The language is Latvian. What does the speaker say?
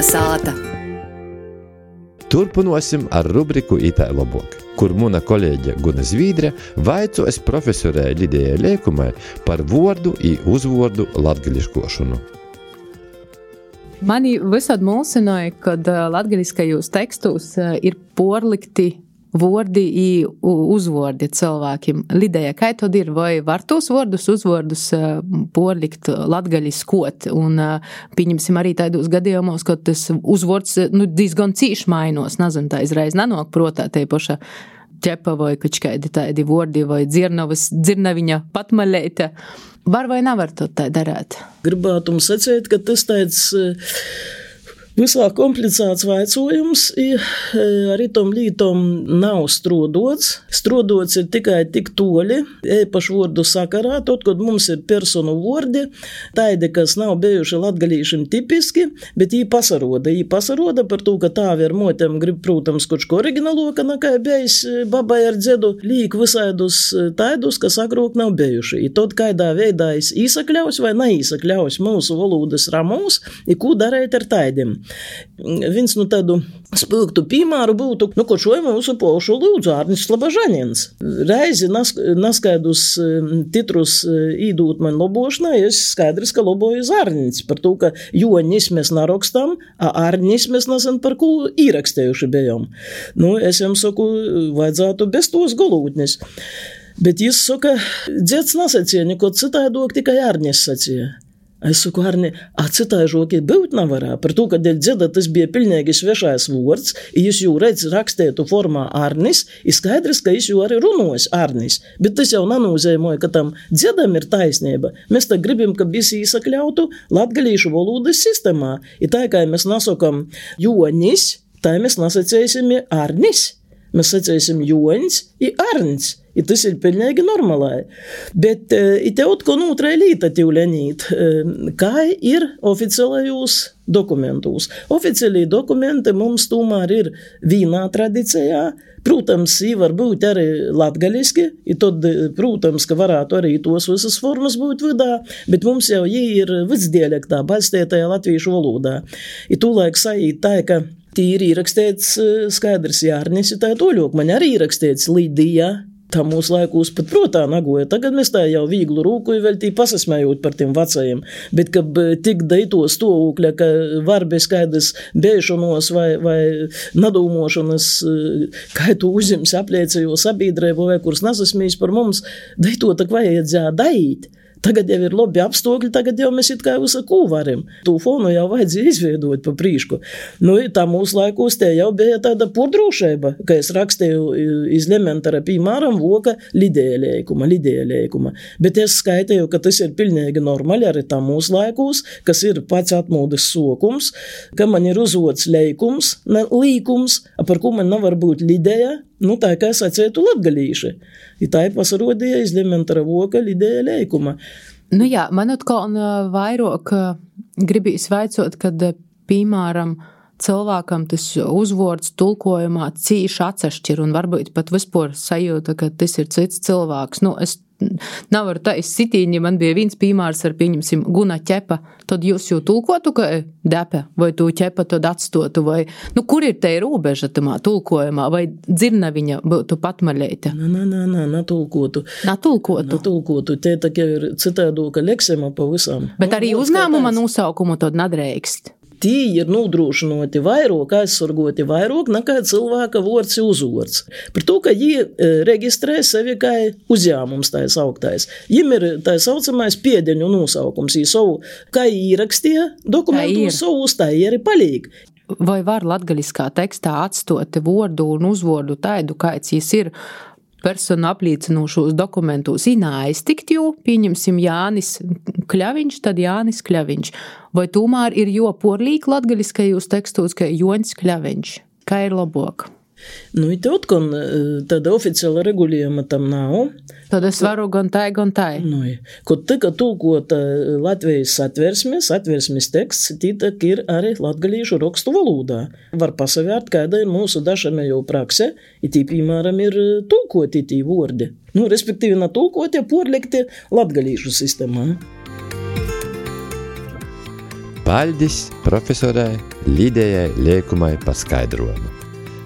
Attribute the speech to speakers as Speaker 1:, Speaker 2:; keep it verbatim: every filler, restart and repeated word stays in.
Speaker 1: Sāta.
Speaker 2: Turpinosim ar rubriku Itā lobok, kur muna kolēģe Guna Zvīdre vaicojas profesorei Lidijai Leikumai par vordu i uzvordu latgališkošanu.
Speaker 3: Mani visad mulsinoja, kad latgaliskajos tekstos ir porlikti vordi i uzvordi cilvēkiem. Lidija, kā tad ir? Vai var tos vordus, uzvordus porlikt latgaliskot? Un pieņemsim arī taidos gadījumos, kad tas uzvords nu, diezgan cīši mainos. Nezinu, tā izreiz nenok protā te paša ķepa vai kačkaidi tādi vordi vai dzirnavas, dzirnaviņa patmaļeite. Var vai nevar to tā darēt?
Speaker 4: Gribētu jums sacīt, ka tas tāds visā komplicēts vaicojums ir arī tom lītom nav strodots. Strodots ir tikai tik toļi, īpaši vordu sakarā, tot, kad mums ir personu vordi, taidi, kas nav bijuši latgalīšiem tipiski, bet jī pasaroda. Jī pasaroda par to, ka tāvi ar motiem grib, protams, kočko originaloka, nekā bijis babai ar dzedu, līk visaidus taidus, kas agrāk nav bijuši. I tot, kaidā veidā es īsakļaus vai neīsakļaus mūsu valodas ramūs, i ko darēt ar taidim. Viens nu tādu spilgtu piemēru būtu, nu, ko šoj mūsu pošu lūdzu Ārnis Slabažaņins. Reizi nas, naskaidus titrus īdūt man lobošanai, es skaidrs, ka loboju Ārnis par to, ka Joņis mēs narokstam, a Ārnis mēs nezin par ko īrakstējuši bijām. Nu, es jums saku, vajadzētu bez tos golūtnis. Bet jis saka, dzets nasacīja, neko citādok, tikai Ārnis sacīja. Es saku, Arni, a citāžoki būt nevarā, par to, ka dēļ dzeda tas bija pilnīgi svešais vords, i jūs jū redz rakstētu formā Arnis, i skaidrs, ka jūs jū arī runos Arnis, bet tas jau nanūzēmoja, ka tam dzedam ir taisnība. Mēs tā gribam, ka visi īsakļautu latgalīšu valodas sistemā, i tā, kā mēs nasakam Joņis, tā mēs nasacēsim Arnis. Mēs sacēsim Joņs i Arns, i tas ir pilnīgi normālai. Bet i te otkon ūtrai līta tīvlenīt, kā ir oficiālajos dokumentos. Oficiālī dokumenti mums tomēr ir vīnā tradicijā, protams, jī var būt arī latgaliski, i tad, protams, ka varētu arī tos visas formas būt vidā, bet mums jau jī ir vidsdialektā, balstētajā latviešu valodā. I tūlaik sajīt tā, ka tī ir īrakstīts skaidrs Jārnis, tā toļok, man arī īrakstīts Lidija, tā mūsu laikūs pat protā nagoja. Tagad mēs tā jau vīglu rūku vēl tī pasasmējot par tiem vecajiem, bet, ka tik daito stovūkļa, ka var bez skaidrs bēšanos vai, vai nadūmošanas, kā tu uzims apliecējo sabiedrību vai kurs nasasmīs par mums, daito tak vajadzēja daīt. Tagad jau ir labi apstākļi, tagad jau mēs it kā visu ko varam. Tū fonu jau vajadzēja izveidot pa prīšku. Nu, tā mūsu laikos te jau bija tāda podrūšeiba, ka es rakstīju iz Lementara piemēram voka Lidija Leikuma, Lidija Leikuma. Bet es skaitīju, ka tas ir pilnīgi normāli arī tā mūsu laikos, kas ir pats atmūdes sokums, ka man ir uzvots Leikums, ne līkums, par ko man nevar būt Lidija, nu tā kā sacētu latgalīši. I tā ir pasarodīja iz Lementara voka Lidija Leikuma.
Speaker 3: Nu jā, man atkal vairāk gribīs vaicot, kad, piemēram, cilvēkam tas uzvords tulkojumā cīši atsašķir un varbūt pat vispār sajūta, ka tas ir cits cilvēks. Nu, es nevaru tā izsitīņi, man bija viens piemērs ar, pieņemsim, Guna ķepa, tad jūs jau tulkotu, ka depe, vai tu ķepa tad atstotu, vai, nu, kur ir te rūbeža tamā tulkojumā, vai dzirnaviņa būtu patmaļeite?
Speaker 4: Nā, nā, nā, nā, natulkotu.
Speaker 3: Natulkotu?
Speaker 4: Natulkotu, te tā kā ir citādoka leksema pa visam.
Speaker 3: Bet arī uzņēmuma nosaukumu tad nadreikst?
Speaker 4: Tī ir nodrošinoti vairāk, aizsargoti vairāk nekā cilvēka vords i uzvords. Par to, ka jī reģistrē sevi kā uzņēmums tā sauktais. Jim ir tā saucamais piedeņu nosaukums. Jī savu, kā īrakstīja dokumentu, savu uztāja arī palīg.
Speaker 3: Vai var latgaliskā tekstā atstoti vordu un uzvordu taidu, kāds jis ir personu apliecinošos dokumentos aiztikt, jo pieņemsim Jānis Kļaviņš, tad Jānis Kļaviņš. Vai tomēr ir jo porlīk latgaliskajos tekstos, ka Joņs Kļaviņš? Kā ir labāk?
Speaker 4: Nu, i te otkon tāda oficiāla regulējuma tam nav.
Speaker 3: Tad es varu gan tai, gan tai.
Speaker 4: Nu, kod tika tulkota Latvijas satversmes, satversmes teksts, tī tak ir arī latgalīšu rakstu valodā. Var pasavērt, kāda ir mūsu dažamējo prakse, i tī, piemēram, ir tulkoti tī vordi. Nu, respektīvi, na tulkoti, porlikti latgalīšu sistemā.
Speaker 2: Paļdis profesorei Lidejai Liekumai par skaidrojumu.